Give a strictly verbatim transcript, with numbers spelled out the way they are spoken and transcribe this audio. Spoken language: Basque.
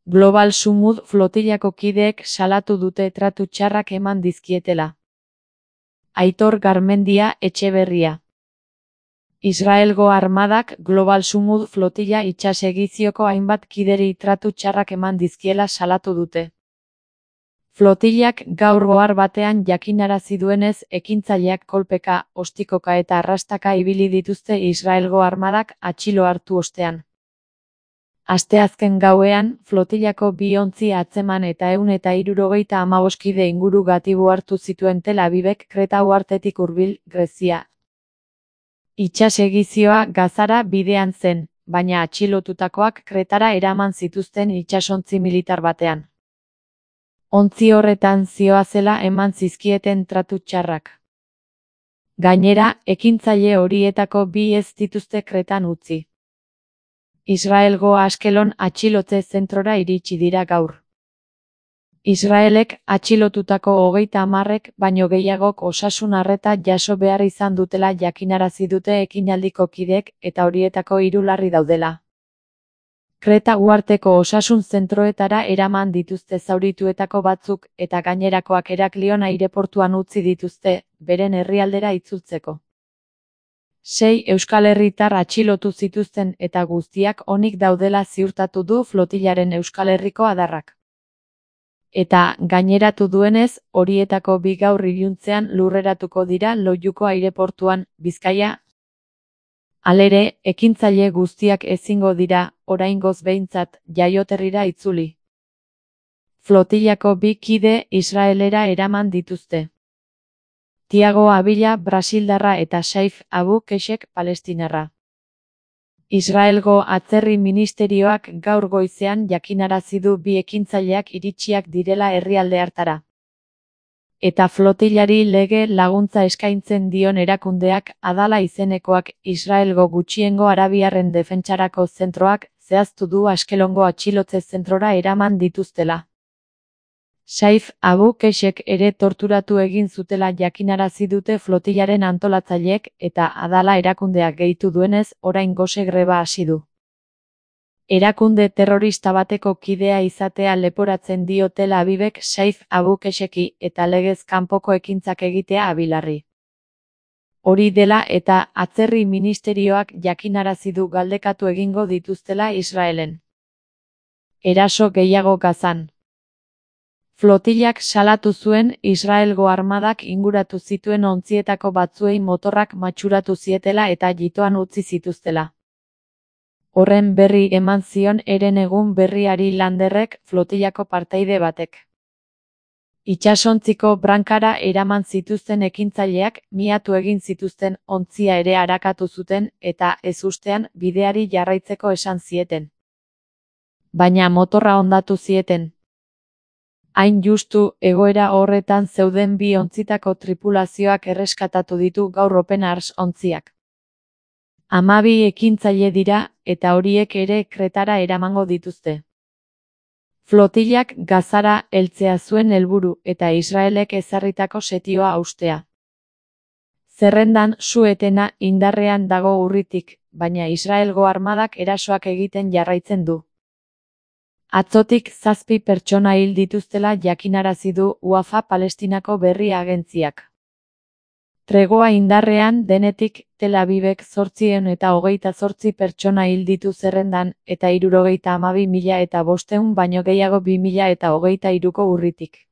Global Sumud flotillako kideek salatu dute tratu txarrak eman dizkietela. Aitor Garmendia Etxeberria. Israelgo armadak Global Sumud flotilla itsasegizioko hainbat kideri tratu txarrak eman dizkiela salatu dute. Flotillak gaur ohar batean jakinarazi duenez ekintzaileak kolpeka, ostikoka eta arrastaka ibili dituzte Israelgo armadak atxilo hartu ostean. Asteazken gauean, flotillako bi ontzi atzeman eta ehun eta hirurogeita hamabost kide inguru gatibu hartu zituen Tel Avivek Kreta uhartetik hurbil, Grezia. Itsasegizioa Gazara bidean zen, baina atxilotutakoak Kretara eraman zituzten itsasontzi militar batean. Ontzi horretan zihoazela eman zizkieten tratu txarrak. Gainera, ekintzaile horietako bi ez dituzte Kretan utzi. Israelgo Askelon atxilotze zentrora iritsi dira gaur. Israelek atxilotutako hogeita hamarrek baino gehiagok osasun arreta jaso behar izan dutela jakinarazi dute ekinaldiko kideek eta horietako hiru larri daudela. Kreta uharteko osasun zentroetara eraman dituzte zaurituetako batzuk eta gainerakoak Heraklion aireportuan utzi dituzte, beren herrialdera itzultzeko. Sei euskal herritar atxilotu zituzten eta guztiak onik daudela ziurtatu du flotillaren Euskal Herriko adarrak. Eta, gaineratu duenez, horietako bi gaur iluntzean lurreratuko dira Loiuko aireportuan, Bizkaia. Halere, ekintzaile guztiak ezingo dira, oraingoz behintzat, jaioterrira itzuli. Flotillako bi kide Israelera eraman dituzte. Tiago Abila Brasildarra eta Saif Abu Keshek Palestinarra. Israelgo atzerri ministerioak gaur goizean jakinarazi du bi ekintzaileak iritsiak direla herrialde hartara. Eta flotillari lege laguntza eskaintzen dion erakundeak Adala izenekoak Israelgo gutxiengo arabiarren defentsarako zentroak zehaztu du Askelongo atxilotze zentrora eraman dituztela. Saif Abu Keshek ere torturatu egin zutela jakinarazi dute flotillaren antolatzaileek eta Adala erakundeak gehitu duenez orain gose greba hasi du. Erakunde terrorista bateko kidea izatea leporatzen dio Tel Avivek Saif Abu Kesheki eta legez kanpoko ekintzak egitea Abilarri. Hori dela eta atzerri ministerioak jakinarazi du galdekatu egingo dituztela Israelen. Eraso gehiago Gazan. Flotillak salatu zuen Israelgo armadak inguratu zituen ontzietako batzuei motorrak matxuratu zietela eta jitoan utzi zituztela. Horren berri eman zion Eren egun berriari Landerrek flotillako partaide batek. Itsasontziko brankara eraman zituzten ekintzaileak miatu egin zituzten ontzia ere arakatu zuten eta ezustean bideari jarraitzeko esan zieten. Baina motorra hondatu zieten. Hain justu, egoera horretan zeuden bi ontzitako tripulazioak erreskatatu ditu gaur Open Arms ontziak. Hamabi ekintzaile dira, eta horiek ere Kretara eramango dituzte. Flotillak Gazara heltzea zuen helburu eta Israelek ezarritako setioa haustea. Zerrendan su-etena indarrean dago urritik, baina Israelgo armadak erasoak egiten jarraitzen du. Atzotik zazpi pertsona hil dituztela jakinarazi du Wafa Palestinako berri agentziak. Tregoa indarrean denetik Tel Avivek zortziehun eta hogeita zortzi pertsona hil ditu zerrendan eta hirurogeita hamabi mila eta bostehun baino gehiago bi mila eta hogeita hiruko urritik.